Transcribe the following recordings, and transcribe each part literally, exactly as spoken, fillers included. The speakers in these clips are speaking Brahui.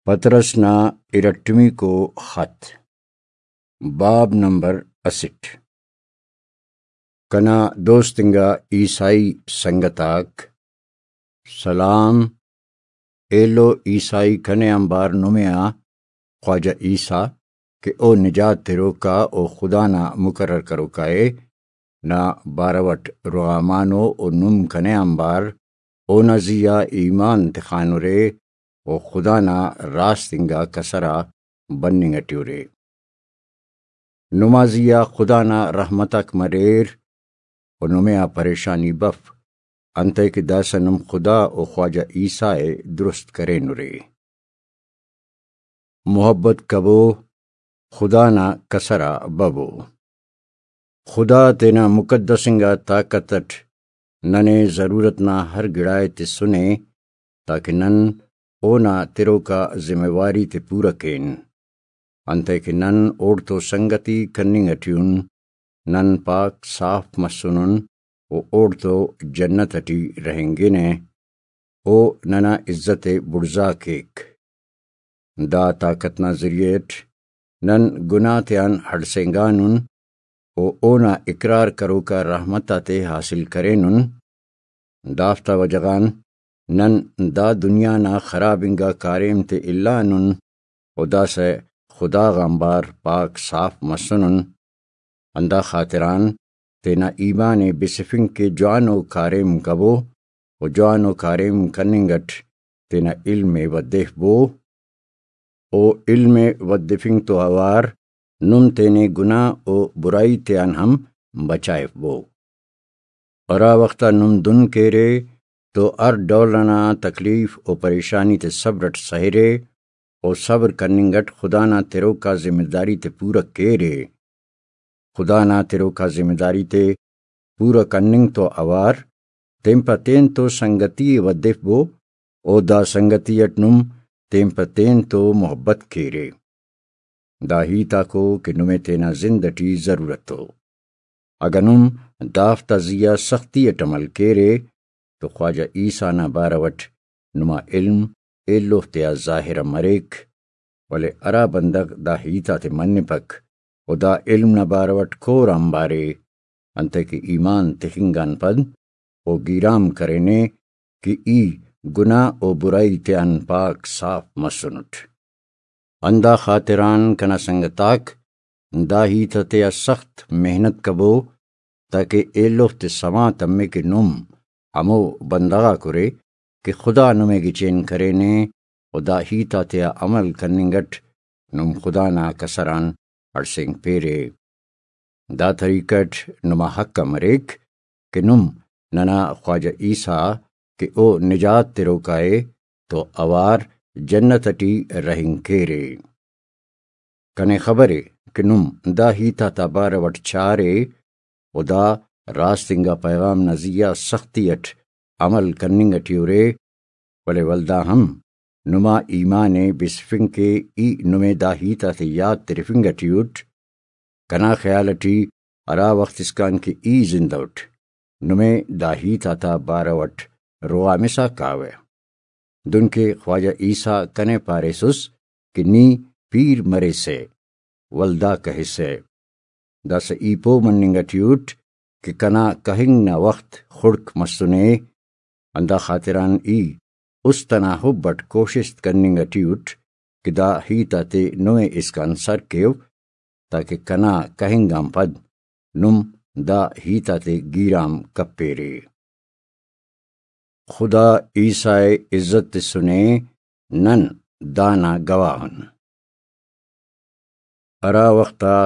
پطرس نا ارٹمیکو خط، باب نمبر اسٹ۔ کنا دوست انگا عیسائی سنگت آک، سلام۔ ایلو عیسائی کنے آنبار نمے آ خواجہ عیسیٰ کہ او نجات تروکا و خدا نا مقرر کروکا ءِ، نا بارو اٹ رغامانو و نم کنے آنبار اونا زی آ ایمان تخانرے و خدا نا راست انگا کسر آ بننگ اٹی ارے۔ نما زی آ خدا نا رحمت آک مریر و نمے آ پریشانی بف، انتئے کہ داسہ نم خدا و خواجہ عیسیٰ ءِ درست کرینرے۔ محبت کبو، خدا نا کسر آ ببو۔ خدا تینا مقدس انگا طاقت اٹ ننے ضرورت نا ہر گڑائے تسنے، تاکہ نن اونا تروکا ذمہ واری تے پورہ کین، انتئے کہ نن اوڑتو سنگتی کننگ اٹی ان، نن پاک صاف مسنن و اوڑتو جنت اٹی رہینگنہ۔ او ننا عزت ءِ بڑزا کیک۔ دا طاقت نا ذریعہ اٹ نن گناہ تیان ہڑسینگانن و اونا اقرار کروکا رحمت آتے حاصل کرینن۔ دافتا وجہ غان نن دا دنیا نا خراب انگا کاریم تے الانن و داسہ خدا غانبار پاک صاف مسنن۔ ہندا خاطران تینا ایمان ءِ بسفنگ کہ جوانو کاریم کبو و جوانو کاریم کننگ اٹ تینا علم ءِ ودیفبو۔ او علم ءِ ودفنگ تو اوار نم تینے گناہ و برائی تیان ہم بچائفبو۔ ہرا وخت آ نم دن کیرے تو ہر ڈول انا تکلیف و پریشانی تے صبر اٹ سہرے و صبر کننگ اٹ خدا نا تروکا ذمہ داری تے پورہ کیرے۔ خدا نا تروکا ذمہ داری تے پورہ کننگ تو اوار تین پہ تین تو سنگتی ءِ ودفبو و دا سنگتی اٹ نم تین پہ تین تو محبت کیرے۔ دا ہیت آکو کہ نمے تینا زند اٹی ضرورت ءِ۔ اگہ نم دافتا زی آ سختی اٹ عمل کیرے تو خواجہ عیسیٰ نا بارو اٹ نما علم ایلو تیا ظاہر مریک، ولے ہرا بندغ دا ہیت آتے منپک و دا علم نا بارو اٹ کور آنبارے، انتئے کہ ایمان تخنگ آن پد او گیرام کرینے کہ ای گناہ و برائی تیان پاک صاف مسنٹ۔ ہندا خاطران کنا سنگتاک، دا ہیت آتیا سخت محنت کبو، تاکہ ایلوفتے سما تمے کہ نم ہمو بندغ آک ارے کہ خدا نمے گچین کرینے و دا ہیت آتیا عمل کننگ اٹ نم خدا نا کسر آن ہڑسینگ پیرے۔ دا طریقہ اٹ نما حق آ مریک کہ نم ننا خواجہ عیسیٰ کہ او نجات تروکا ءِ تو اوار جنت اٹی رہینگ کیرے۔ کنے خبر ءِ کہ نم دا ہیت آتا بارو اٹ چارے و دا راست انگا پیغام نا زی آ سختی اٹ عمل کننگ اٹی ارے، ولے ولدا ہم نما ایمان ءِ بسفنگ کہ ای نمے دا ہیت آتے یات ترفنگ اٹی اٹ۔ کنا خیال اٹی ہرا وخت اسکان کہ ای زندہ اٹ، نمے دا ہیت آتا بارو اٹ رغامسا کاوہ۔ دنکہ خواجہ عیسیٰ کنے پاریسس کہ نی پیر مریسہ، ولدا کہسہ۔ داسہ ای پہہ مننگ اٹی اٹ کہ کنا کہنگ نا وخت خڑک مسنے، ہندا خاطران ای است انا حب اٹ کوشست کننگ اٹی اٹ کہ دا ہیت آتے نمے اسکان سر کیو، تاکہ کنا کہنگ آن پد نم دا ہیت آتے گیرام کپیرے۔ خدا عیسیٰ ءِ عزت تسنے، نن دانا گواہ ان۔ ہرا وخت آ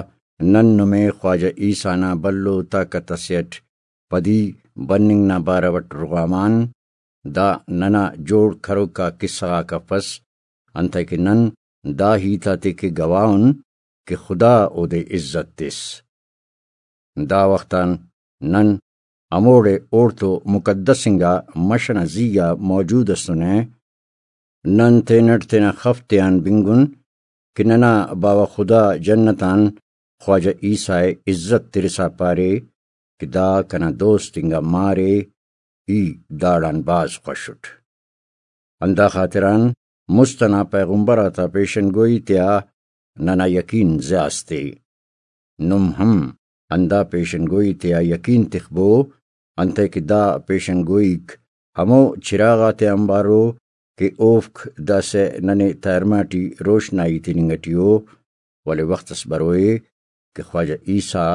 نن نمے خواجہ عیسیٰ نا بھلو طاقت اسے اٹ پدی بننگ نا بارو اٹ رغام آن، دا ننا جوڑ کروک آ کسہ غاک افس، انتئے کہ نن دا ہیت آتے کہ گواہ ان کہ خدا اودے عزت تس۔ دا وخت آن نن ہموڑے اوڑتو مقدس انگا مش ئنا زی آ موجود ئسنہ۔ نن تینٹ تینا خف تیان بنگن کہ ننا باوہ خدا جنت آن خواجہ عیسیٰ ءِ عزت ترسا پارے کہ دا کنا دوست انگا مارے، ای داڑان بھاز خوش اٹ۔ ہندا خاطران مست ئنا پیغمبر آتا پیشن گوئی تیا ننا یقین زیاست ءِ۔ نم ہم ہندا پیشن گوئی تیا یقین تخبو، انتئے کہ دا پیشن گوئیک ہمو چراغ آتے آنبار ءُ کہ اوفک داسہ ننے تہرمہ ٹی روشنائی تننگ ٹی ءُ، ولے وخت اس بروئے کہ خواجہ عیسیٰ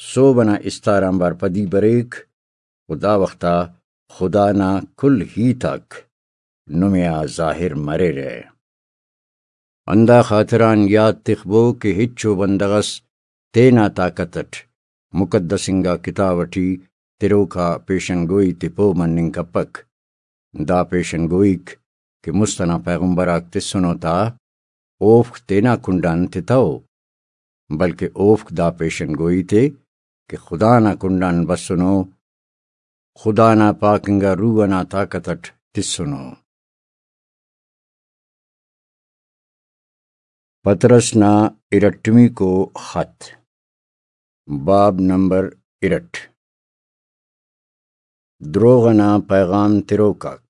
سہب ئنا استار آنبار پدی بریک، و دا وخت آ خدا نا کل ہیت آک نمے آ ظاہر مریرہ۔ ہندا خاطران یات تخبو کہ ہچو بندغ اس تینا طاقت اٹ مقدس انگا کتاب اٹی تروک آ پیشن گوئی تے پہہ مننگ کپک۔ دا پیشن گوئیک کہ مست ئنا پیغمبر آک تسنو تا، اوفک تینا کنڈان تتو، بلکہ اوفک دا پیشن گوئی تے کہ خدا نا کنڈان بسنو، خدا نا پاک انگا روح ئنا طاقت اٹ تسنو۔ پطرس نا ارٹمیکو خط، باب نمبر ارٹ۔ دروغ ئنا پیغام تروک آک۔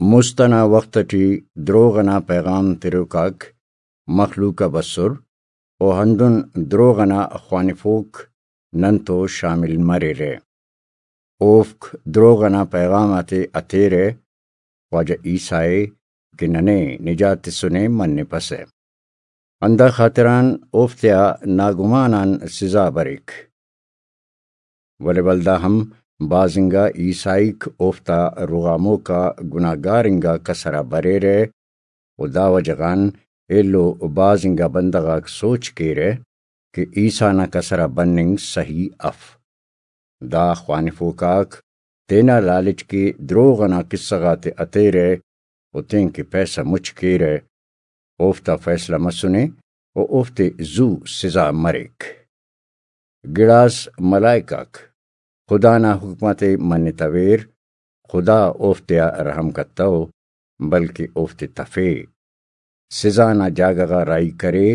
مست ئنا وخت ٹی دروغ ئنا پیغام تروک آک مخلوق آ بسر، و ہندن دروغ ئنا خوانفوک ننتو شامل مریرہ۔ اوفک دروغ ئنا پیغام آتے ہتیرہ، خواجہ عیسیٰ ءِ کہ ننے نجات تسنے منپسہ۔ ہندا خاطران اوفتیا ناگمان آن سزا بریک۔ ولے ولدا ہم بھاز انگا عیسائیک اوفتا رغاموکا گناہگار انگا کسر آ بریرہ، و دا وجہ غان ایلو بھاز انگا بندغ آک سوچ کیرہ کہ عیسیٰ نا کسر آ بننگ سہی اف۔ دا خوانفوک آک تینا لالچ کہ دروغ ئنا کسہ غاتے ہتیرہ و تینکہ پیسہ مچ کیرہ، اوفتا فیصلہ مسنے و اوفتے زو سزا مریک۔ گڑاس ملائک آک خدا نا حکم آتے منتویر، خدا اوفتیا رحم کتو، بلکہ اوفتے تفے، سزا نا جاگہ غا راہی کرے،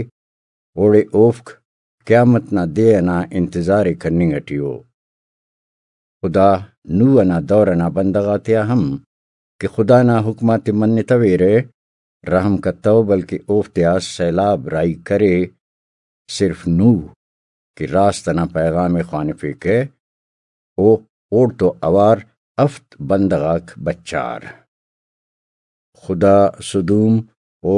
اوڑے اوفک قیامت نا دے ئنا انتظار ءِ کننگ ٹی ءُ۔ خدا نوح ئنا دور ئنا بندغ آتیا ہم کہ خدا نا حکم آتے منتویرہ، رحم کتو، بلکہ اوفتیا سیلاب راہی کرے۔ صرف نوح کہ راست ئنا پیغام ءِ خوانفیکہ، او اوڑتو اوار ہفت بندغ آک بچار۔ خدا سدوم و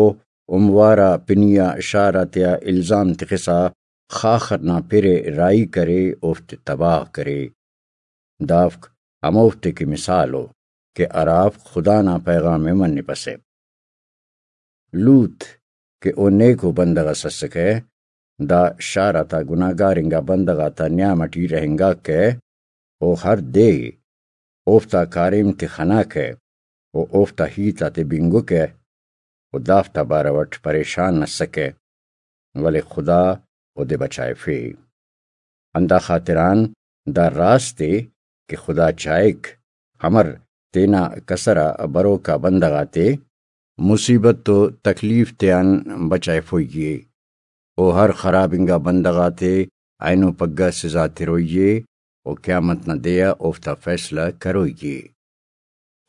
عموار آ پنی آ شار آتیا الزام تخسا خاخر نا پِر ءِ راہی کرے، اوفتے تباہ کرے۔ دافک ہموفتے کہ مثال ءُ کہ ہرافک خدا نا پیغام ءِ منپسہ۔ لوط کہ او نیکو بندغ اس اسکہ، دا شار آتا گناہگار انگا بندغ آتا نیام اٹی رہینگاکہ، او ہر دے اوفتا کاریم تے خناکہ و اوفتا ہیت آتے بنگکہ و دافتا بارو اٹ پریشان ئسکہ، ولے خدا اودے بچائفے۔ ہندا خاطران دا راست ءِ کہ خدا چائک، امر تینا کسر آ بروکا بندغ آتے مصیبت و تکلیف تیان بچائفوئی ءِ۔ او ہر خراب انگا بندغ آتے اینو پگہ سزا تروئی ءِ و قیامت نا دے آ اوفتا فیصلہ کروئی ءِ۔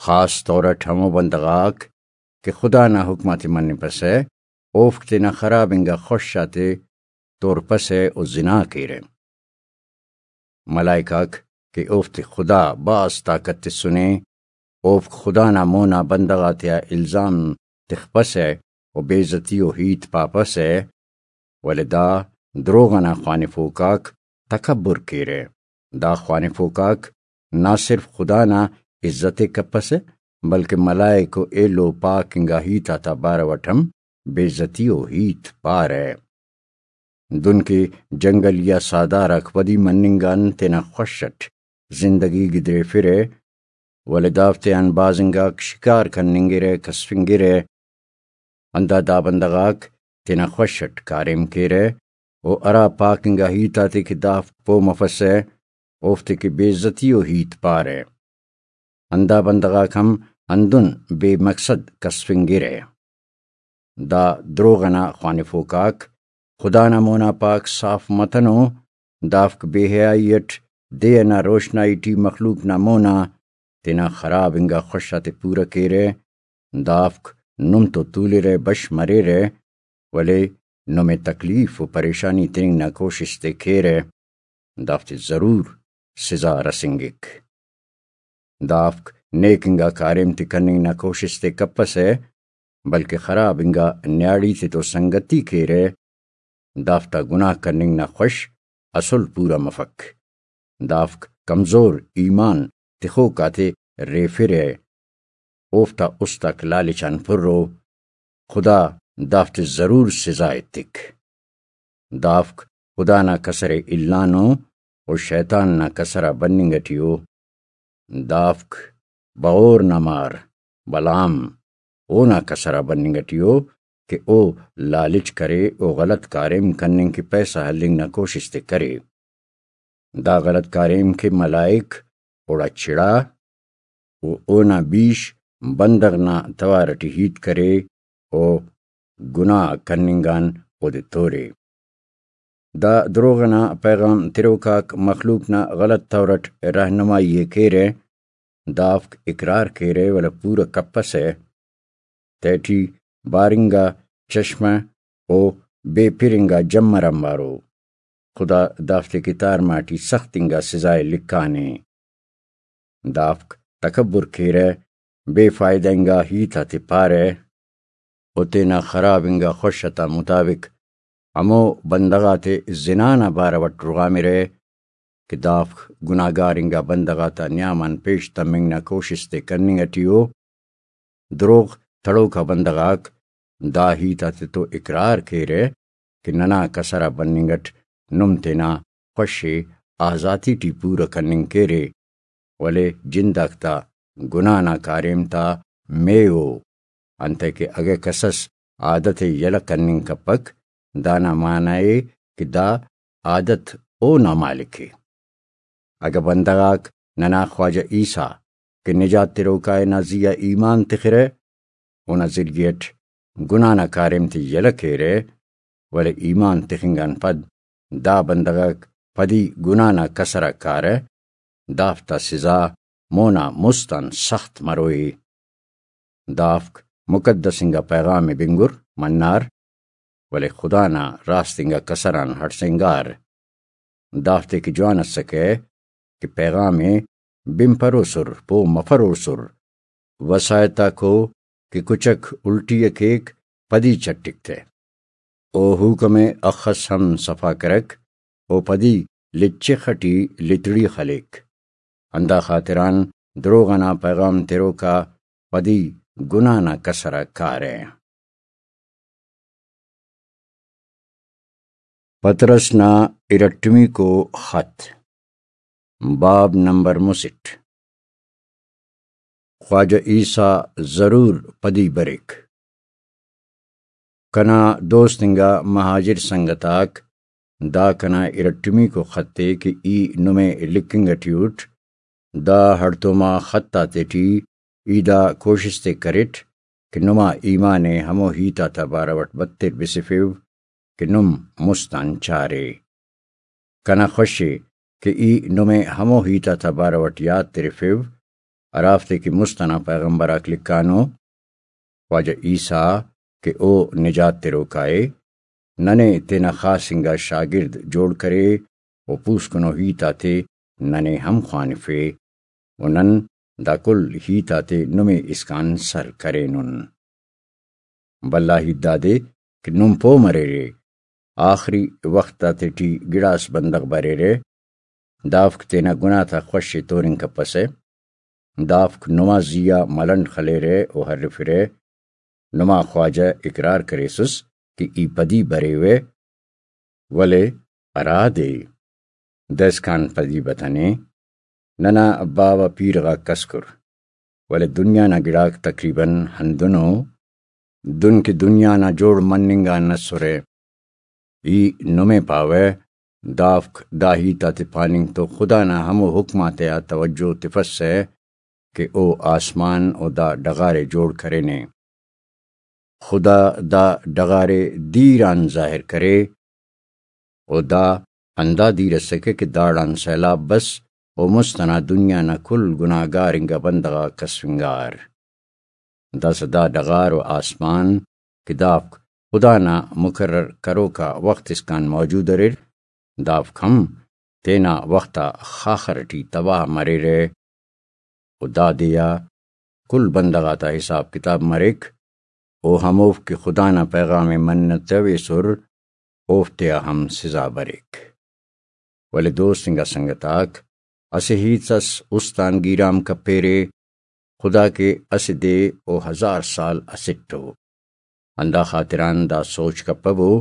خاص طور اٹ ہمو بندغ آک کہ خدا نا حکم آتے منپسہ، اوفک تینا خراب انگا خوش آتے تورپسہ و زنا کیرہ۔ ملائک آک کہ اوفتے خدا بھاز طاقت تسنے، اوفک خدا نا مونا بندغ آتیا الزام تخپسہ و بے عزتی و ہیت پاپسہ، ولے دا دروغ ئنا خوانفوک آک تکبر کیرہ۔ دا خوانفوک آک نہ صرف خدا نا عزت ءِ کپسہ، بلکہ ملائک و ایلو پاک انگا ہیت آتا بارو اٹ ہم بے عزتی و ہیت پارہ۔ دنکہ جنگلی آ ساہدار آک ودی مننگ آن تینا خوش اٹ زندگی گدریفرہ، ولے دافتیان بھاز انگاک شکار کننگرہ، کسفنگرہ۔ ہندا دا بندغ آک تینا خوش اٹ کاریم کیرہ و ہرا پاک انگا ہیت آتے کہ دافک پہہ مفسہ، اوفتے کہ بے عزتی و ہیت پارہ۔ ہندا بندغ آک ہم ہندن بے مقصد کسفنگرہ۔ دا دروغ ئنا خوانفوک آک خدا نا مونا پاک صاف متنو، دافک بے حیائی اٹ دے ئنا روشنائی ٹی مخلوق نا مونا تینا خراب انگا خوش آتے پورہ کیرہ، دافک نم تو تولرہ، بش مریرہ، ولے نمے تکلیف و پریشانی تننگ نا کوشست ءِ کیرہ، دافتے ضرور سزا رسینگک۔ دافک نیک انگا کاریم تے کننگ نا کوشست ءِ کپسہ، بلکہ خراب انگا نیاڑی تے تو سنگتی کیرہ، دافتا گناہ کننگ نا خوش اسل پورا مفک۔ دافک کمزور ایمان تخوک آتے ریفرہ، اوفتا است آک لالچ آن پر ءُ، خدا دافتے ضرور سزا ایتک۔ دافک خدا نا کسر ءِ الانو و شیطان نا کسر آ بننگ ٹی ءُ۔ دافک بغور نا مار بلام اونا کسر آ بننگ ٹی ءُ کہ او لالچ کرے و غلط کاریم کننگ کہ پیسہ ہلنگ نا کوشست ءِ کرے۔ دا غلط کاریم کہ ملائک اوڑا چڑا و اونا بیش بندغ نا توار ٹی ہیت کرے و گناہ کننگ آن اودے تورے۔ دا دروغ ئنا پیغام تروک آک مخلوق نا غلط طور ئٹ رہنمائی ءِ کیرہ، دافک اقرار کیرہ ولے پورہ کپسہ۔ تیٹی بارنگا چشمہ و بے پرنگا جمر آنبارو۔ خدا دافتے کتار ماٹی سخت انگا سزا ءِ لکھانے۔ دافک تکبر کیرہ، بے فائدہ انگا ہیت آتے پارہ و تینا خراب انگا خوش تا مطابق ہمو بندغ آتے زنا نا بارو ئٹ رغامرہ کہ دافک گناہگار انگا بندغ آتا نیام آن پیش تمنگ نا کوشست ءِ کننگ ٹی ءُ۔ دروغ تڑوکا بندغ آک دا ہیت آتے تو اقرار کیرہ کہ ننا کسر آ بننگ اٹ نم تینا خوش ءِ آزاتی ٹی پورہ کننگ کیرے، ولے جنداک تا گناہ نا کاریم تا مے ءُ، انتئے کہ اگہ کسس عادت ءِ یلہ کننگ کپک، دانا معنی ءِ کہ دا عادت اونا مالک ءِ۔ اگہ بندغ آک ننا خواجہ عیسیٰ کہ نجات تروکا ءِ نا زی آ ایمان تخرہ، اونا ذریعہ اٹ گناہ نا کاریم تے یلہ کیرہ، ولے ایمان تخنگ آن پد دا بندغ آک پدی گناہ نا کسر آ کارہ، دافتا سزا مونا مست آن سخت مروئے۔ دافک مقدس انگا پیغام ءِ بنگر منار، ولے خدا نا راست انگا کسر آن ہڑسینگار۔ دافتے کہ جوان اسکہ کہ پیغام ءِ بنپروسر، پہہ مفروسر، وساہت آکو کہ کچک الٹی ءِ کیک، پدی چٹک تہ۔ او حکم ءِ اخس ہم صفا کرک، او پدی لچخ ٹی لتڑی خلیک۔ ہندا خاطران دروغ ئنا پیغام تروکا پدی گناہ نا کسر آ کارہ۔ پطرس نا ارٹمیکو خط، باب نمبر مسٹ۔ خواجہ عیسیٰ ضرور پدی بریک۔ کنا دوست انگا مہاجر سنگت آک، دا کنا ارٹمیکو خط ءِ کہ ای نمے لکھنگ ٹی اٹ، دا ہڑتوما خط آتیٹی ای دا کوشست ءِ کریٹ کہ نما ایمان ءِ ہمو ہیت آتا بارو اٹ بتر بسفیو کہ نم مست آن چارے۔ کنا خوش ءِ کہ ای نمے ہمو ہیت آتا بارو اٹ یات ترفیو، ہرافتے کہ مست ئنا پیغمبر آک لکھانو۔ خواجہ عیسیٰ کہ او نجات تروکا ءِ، ننے تینا خاص انگا شاگرد جوڑ کرے و پوسکنو ہیت آتے ننے ہم خوانفے و نن دا کل ہیت آتے نمے اسکان سر کرینن۔ بھلا ہیت دادے کہ نم پہہ مریرے، آخری وخت آتیٹی گڑاس بندغ بریرہ، دافک تینا گناہ تا خوش ءِ تورنگ کپسہ۔ دافک نما زی آ ملنڈ خلیرہ و ہرفرہ۔ نما خواجہ اقرار کریسس کہ ای پدی بریوہ، ولے ہرادے داسکان پدی بتنے۔ ننا باوہ پیرہ غاک کسکر، ولے دنیا نا گڑاک تقریباً ہندنو۔ دن کہ دنیا نا جوڑ مننگ آن اسرہ۔ ای نمے پاوہ، دافک دا ہیت آتے پاننگ تو خدا نا ہمو حکم آتیا توجہ تفسہ کہ او آسمان و دا ڈغار ءِ جوڑ کرینے۔ خدا دا ڈغار ءِ دیر آن ظاہر کرے، و دا ہندا دیر اسکہ کہ داڑان سیلاب بس و مست ئنا دنیا نا کل گناہگار انگا بندغ آک کسفنگار۔ داسہ دا ڈغار و آسمان کہ دافک خدا نا مقرر کروکا وخت اسکان موجود اریر، دافک ہم تینا وخت آ خاخر ٹی تباہ مریرہ۔ و دا دے آ کل بندغ آتا حساب کتاب مریک، او ہموفک کہ خدا نا پیغام ءِ منتویسر، اوفتیا ہم سزا بریک۔ ولے دوست انگا سنگت آک، اسہ ہیت اس است آن گیرام کپیرے، خدا کہ اسہ دے او ہزار سال اسٹ ءُ۔ ہندا خاطران دا سوچ کپبو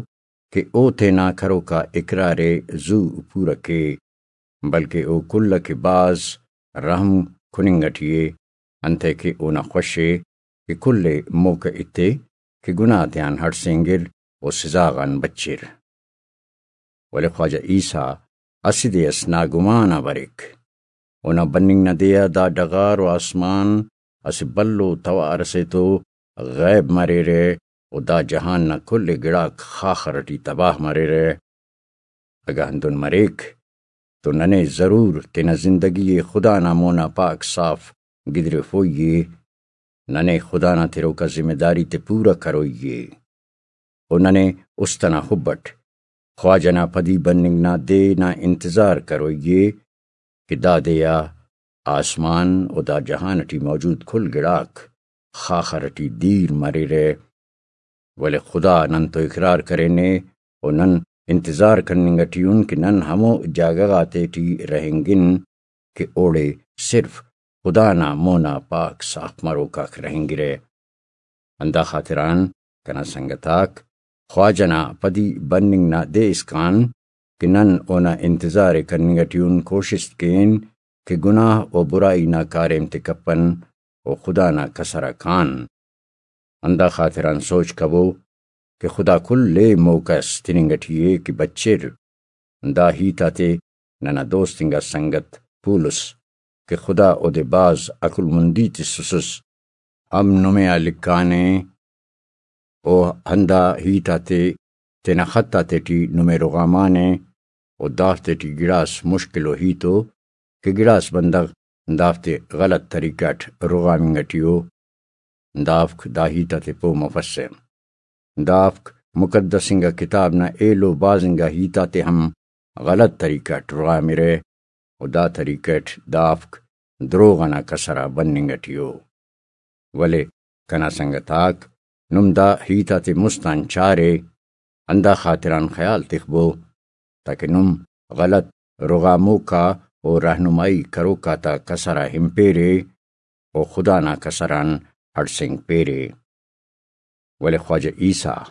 کہ او تینا کروکا اقرار ءِ زو پورہ کے، بلکہ او کل ءِ کہ بھاز رحم کننگ ٹی ءِ، انتئے کہ اونا خوش ءِ کہ کل ءِ موقع ایتے کہ گناہ تیان ہڑسینگر و سزا غان بچر۔ ولے خواجہ عیسیٰ اسہ دے اس ناگمان آ بریک۔ اونا بننگ نا دے آ دا ڈغار و آسمان اسہ بھلو توار ئسے تو غیب مریرہ و دا جہان نا کل گڑاک خاخر ٹی تباہ مریرہ۔ اگہ ہندن مریک تو ننے ضرور تینا زندگی ءِ خدا نا مونا پاک صاف گدریفوئی ءِ۔ ننے خدا نا تروکا ذمہ داری تے پورہ کروئی ءِ۔ و ننے است ئنا حب اٹ خواجہ نا پدی بننگ نا دے نا انتظار کروئی ءِ کہ دا دے آ آسمان و دا جہان ٹی موجود کل گڑاک خاخر ٹی دیر مریرہ۔ ولے خدا نن تو اقرار کرینے و نن انتظار کننگ ٹی ان کہ نن ہمو جاگہ غاتے ٹی رہینگن کہ اوڑے صرف خدا نا مونا پاک صاف مروکاک رہینگرہ۔ ہندا خاطران کنا سنگت آک، خواجہ نا پدی بننگ نا دے اسکان کہ نن اونا انتظار ءِ کننگ ٹی ان کوشست کین کہ گناہ و برائی نا کاریم تے کپن و خدا نا کسر آ کان۔ ہندا خاطران سوچ کبو کہ خدا کل ءِ موقع اس تننگ ٹی ءِ کہ بچر۔ دا ہیت آتے ننا دوست انگا سنگت پولس کہ خدا اودے بھاز عقل مندی تسسس، ہم نمے آ لکھانے۔ او ہندا ہیت آتے تینا خط آتے ٹی نمے رغامانے و دافتے ٹی گڑاس مشکل و ہیت ءُ کہ گڑاس بندغ دافتے غلط طریقہ اٹ رغامنگ ٹی ءُ۔ دافک دا ہیت آتے پہہ مفسہ۔ دافک مقدس انگا کتاب نا ایلو بھاز انگا ہیت آتے ہم غلط طریقہ اٹ رغامرہ و دا طریقہ اٹ دافک دروغ ئنا کسر آ بننگ ٹی ءُ۔ ولے کنا سنگت آک، نم دا ہیت آتے مست آن چارے، ہندا خاطران خیال تخبو تاکہ نم غلط رغاموکا و رہنمائی کروکا تا کسر آ ہنپیرے و خدا نا کسر آن ہڑسینگپیرے۔ ولے خواجہ عیسیٰ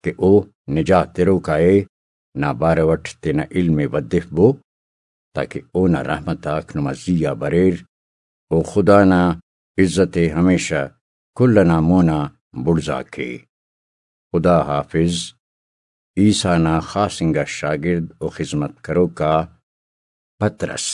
کہ او نجات تروکا ءِ نا بارو اٹ تینا علم ءِ ودفبو تاکہ اونا رحمت آک نما زی آ بریر و خدا نا عزت ءِ ہمیشہ کل ئنا مونا بڑزا کے۔ خدا حافظ۔ عیسیٰ نا خاص انگا شاگرد و خذمت کروکا پطرس۔